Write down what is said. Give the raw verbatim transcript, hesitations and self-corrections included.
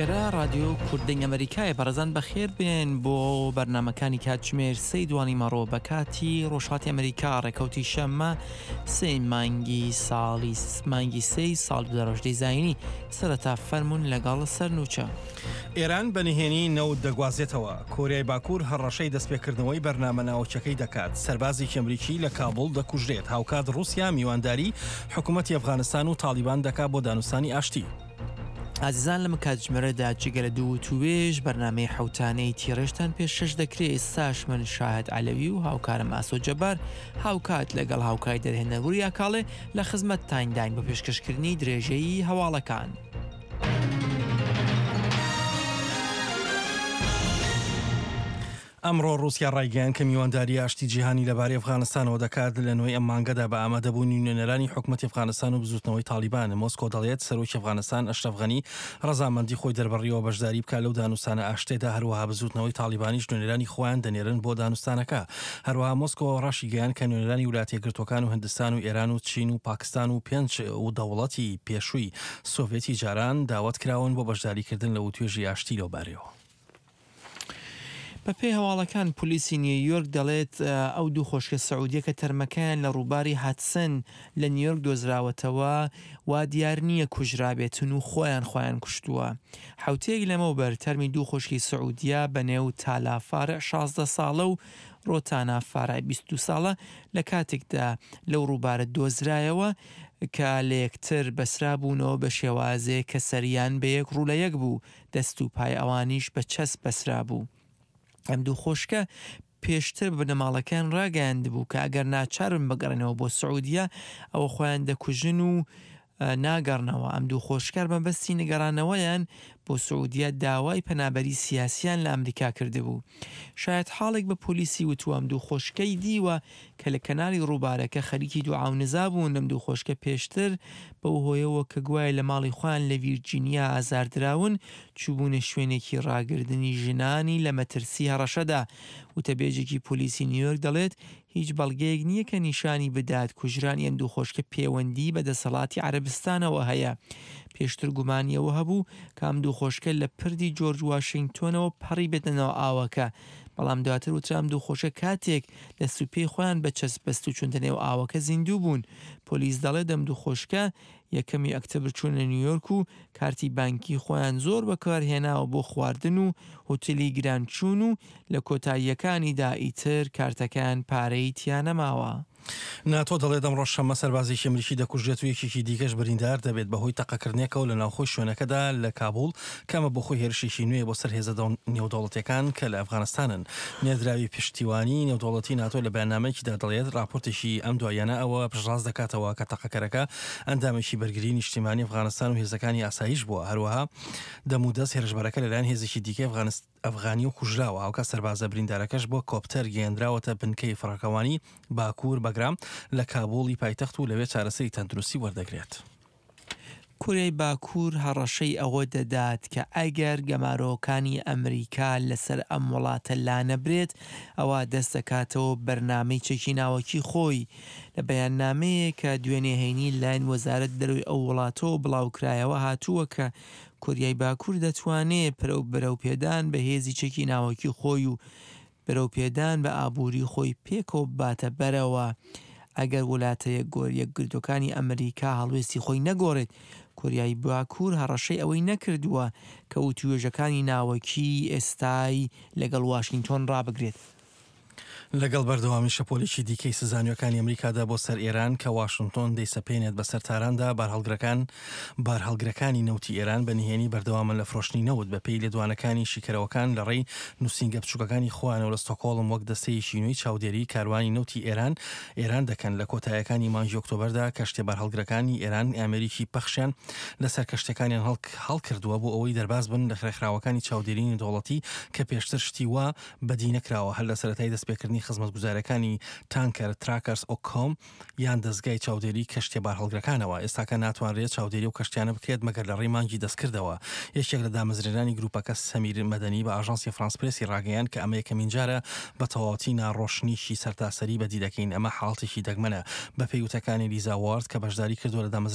ئێرە ڕادیۆ کوردەنگ ئەمریکایە. بەڕێزان بەخێر بێن بۆ بەرنامەکانی کاتژمێر سێی دوانی مەڕۆ بە کاتی ڕۆژهەڵاتی ئەمریکا، ڕێکەوتی شەممە سێ مانگی ساڵی مانگی سێی ساڵ دوو هەزار و هەژدە زایینی. سەرەتا فەرمونون لەگەڵ سەرنوچە. ئێران بە نهێنی نەوت دەگوازێتەوە. کۆریای باکوور هەڕەشەی دەستپێکردنەوەی بەرنامە ناوچەکەی دەکات. سەربازێکی ئەمریکی لە کابوڵ دەکوژرێت. هاوکات ڕووسیا میوانداری حکوومەتی ئەفغانستان و تاڵیبان دەکات بۆ دانوستانی ئاشتی. ئازیزان لەم کاتژمێرەدا جگە لە دوو وتوێژ بەرنامەی حوتانەی تیڕێژتان پێشکەش دەکرێت. ئێستاش من شاهد عەلەوی و هاوکارم ئاسۆ جەبار هاوکات لەگەڵ هاوکاری دەرهێنەر وریا کاڵێ لە خزمەتتانداین بۆ پێشکەشکردنی درێژەی هەواڵەکان. ئەمڕۆ ڕووسیا ڕایگەیاند کە میوانداری ئاشتی جیهانی لەبارەی ئەفغانستانەوە دەکات لە نوێی ئەم مانگەدا بە ئامادەبوونی نوێنەرانی حکوومەتی ئەفغانستان و بزوتنەوەی تاڵیبان. مۆسکۆ دەڵێت سەرۆکی ئەفغانستان ئەشرەف غەنی ڕەزامەندی خۆی دەربڕیەوە بەشداری بکات لەو دانوستانە ئاشتێدا، هەروەها بزوتنەوەی تاڵیبانیش نوێنەرانی خۆیان دەنێرن بۆ دانوستانەکە. هەروەها مۆسکۆ ڕاشیگەیاند کە نوێنەرانی وڵاتە یەکگرتووەکان و هندستان و ئێران و چین و پاکستان و پێنج دەوڵەتی پێشووی سۆڤێتی جاران داوەت کراون بۆ بەشداریکردن لە وتوێژی ئاشتی لەوبارەیەوە. بەپێی هەواڵەکان پۆلیسی نیویۆرک دەڵێت ئەو دوو خۆشکە سعودیە کە تەرمەکەیان لە ڕووباری هاتسن لە نیویۆرک دۆزراوەتەوە وا دیار نییە کوژرابێتن و خۆیان خۆیان کوشتووە. حوتەیەک لەمەوبەر تەرمی دوو خۆشکی سعودیە بە نێو تالا فارع شازدە ساڵە و ڕۆتانا فارع بیست و دوو ساڵە لە کاتێکدا لەو ڕووبارە دۆزرایەوە کە لە یەکتر بەسرابوونەوە بە شێوازێک کە سەریان بە یەک ڕوو لە یەک بوو، دەست و پای ئەوانیش بە چەسپ بەسرا بوو. ئەم دوو خۆشکە پێشتر بە بنەماڵەکان ڕاگەیاندبوو کە ئەگەر ناچارن بگەڕێنەوە بۆ سعودیە ئەوە خۆیان دەکوژن و ناگەڕنەوە. ئەم دوو خۆشکار مەبەستی نگەڕانەوەیان بۆ سعودیە داوای پەنابەری سیاسیان لە ئەمریکا کردبوو. شاید حاڵێک بە پۆلیسی وتووە ئەم دوو خۆشکەی دیوە کە لە کەنالی ڕووبارەکە خەریکی دوعا و نزا بوون. ئەم دوو خۆشکە پێشتر بەو هۆیەوە کە گوایە لە ماڵی خۆیان لە ڤیرجینیا ئازاردراون چووبوونە شوێنێکی ڕاگردنی ژنانی لە مەترسی هەڕەشەدا. وتەبێژێکی پۆلیسی نیویۆرک دەڵێت هیچ بەڵگەیەک نییە کە نیشانی بدات کوژرانی ئەم دوو خۆشکە پەیوەندی بە دەسەڵاتی عەرەبستانەوە هەیە. پێشتر گومانیەوە هەبوو کە ئەم دوو خۆشکە لە پردی جۆرج واشنگتۆنەوە پەڕی بێتە ناو ئاوەکە، بەڵام دواتر وترا ئەم دوو خۆشکە کاتێک دەست و پێی خۆیان بە چەسپ بەست و چونتە نێو ئاوەکە زیندوو بوون. پۆلیس دەڵێت ئەم دوو خۆشکە یەکەمی ئەکتەبر چوونە نیویۆرک و کارتی بانکی خۆیان زۆر بەکارهێناوە بۆ خواردن و هوتێلی گرانچوون و لە کۆتاییەکانیدا ئیتر کارتەکان پارەی تیا نەماوە. ناتۆ دەڵێت ئەمڕۆ شەممە سەربازێکی ئەمریکی دەکوژرێت و یەکێکی دیکەش بریندار دەبێت بەهۆی تەقەکردنێکەوە لە ناوخۆی شوێنەکەدا لە کابوڵ کەمە بۆ خۆی هێرشێکی نوێ بۆ سەر هێزە نێودەوڵەتیەکان کە لە ئەفغانستانن. نێردراوی پشتیوانی نێودەوڵەتی ناتۆ لە بەیاننامەیەکیدا دەڵێت راپۆرتێکی ئەم دواییانە ئەوە پشتڕاست دەکاتەوە کە تەقەکەرەکە ئەندامێکی بەرگری نیشتیمانی ئەفغانستان و هێزەکانی ئاسایش بووە. هەروەها دەمودەست هێرشبەرەکە لەلایەن هێزێکی دیکەی ئەفغانی و کوژراوە. هاوکات سەربازە بریندارەکەش بۆ کۆپتەر گەیەندراوەتە بنکەی فڕۆکەوانی باکوور بەگرام لە کابوڵی پایتەخت و لەوێ چارەسەری تەندروستی وەردەگرێت. کۆریای باکوور هەڕەشەی ئەوە دەدات کە ئەگەر گەمارۆکانی ئەمریکا لەسەر ئەم وڵاتە لانەبرێت ئەوە دەست دەکاتەوە بەرنامەی چەکی ناوەکی خۆی. لە بەیاننامەیە کە دوێنێ هەینی لایەن وەزارەت دەرەوەی ئەو وڵاتەوە بڵاوکرایەوە هاتووە کە کۆریای باکوور دەتوانێت پرەو بەرەوپێدان بە هێزی چەکی ناوەکی خۆی و بەرەوپێدان بە ئابووری خۆی پێکەوە بباتە بەرەوە. ئەگەر وڵاتە یەکگرتووەکانی ئەمریکا هەڵوێستی خۆی نەگۆڕێت، کۆریای باکوور هەڕەشەی ئەوەی نەکردووە کە وتوێژەکانی ناوەکی ئێستای لەگەڵ واشنگتۆن ڕابگرێت. لەگەڵ بەردەوامی شەپۆلێکی دیکەی سزانیەکانی ئەمریکادا بۆ سەر ئێران کە واشنگتۆن دەیسەپێنێت بەسەر تاراندا، بارهەڵگرەکان بارهەڵگرەکانی نەوتی ئێران بە نهێنی بەردەوامن لە فرۆشتنی نەوت بەپێی لێدوانەکانی شیکەرەوەکان لە ڕێی نووسینگە بچووکەکانی خۆیانەوە لە ستۆکهۆڵم وەک دەستەیەکی نوێی چاودێری کاروانی نەوتی ئێران ئێران دەکەن. لە کۆتایەکانی مانگی ئۆکتۆبەردا کەشتیە بارهەڵگرەکانی ئێران ئامێریکی پەخشیان لەسەر کەشتەکانیان هەڵکردووە بۆ ئەوەی دەرباز بن لە ڕێکخراوەکانی چاودێری نێودەوڵەتی کە پێشتر شتی وا بەدی نەکراوە. هەر لە سەرەتای دەستپێکردنی خزمەتگوزارەکانی تانکەر تراکەرس ئۆکۆم یان دەستگای چاودێری کەشتیە بارهەڵگرەکانەوە ئێستاکە ناتوانرێت چاودێری و کەشتیانە بکرێت مەگەر لە ڕێی مانگی دەستکردەوە. یەکێک لە دامەزرێنانی گروپەکە سەمیر مەدەنی بە ئاژانسی فرانس پرێسی ڕاگەیاند کە ئەمە یەکەمین جارە بە تەواوەتی ناڕۆشنیشی سەرتاسەری بەدی دەکەین. ئەمە حاڵەتێکی دەگمەنە. بەپێی وتەکانی لیزا وارد کە بەشداری کردووە لە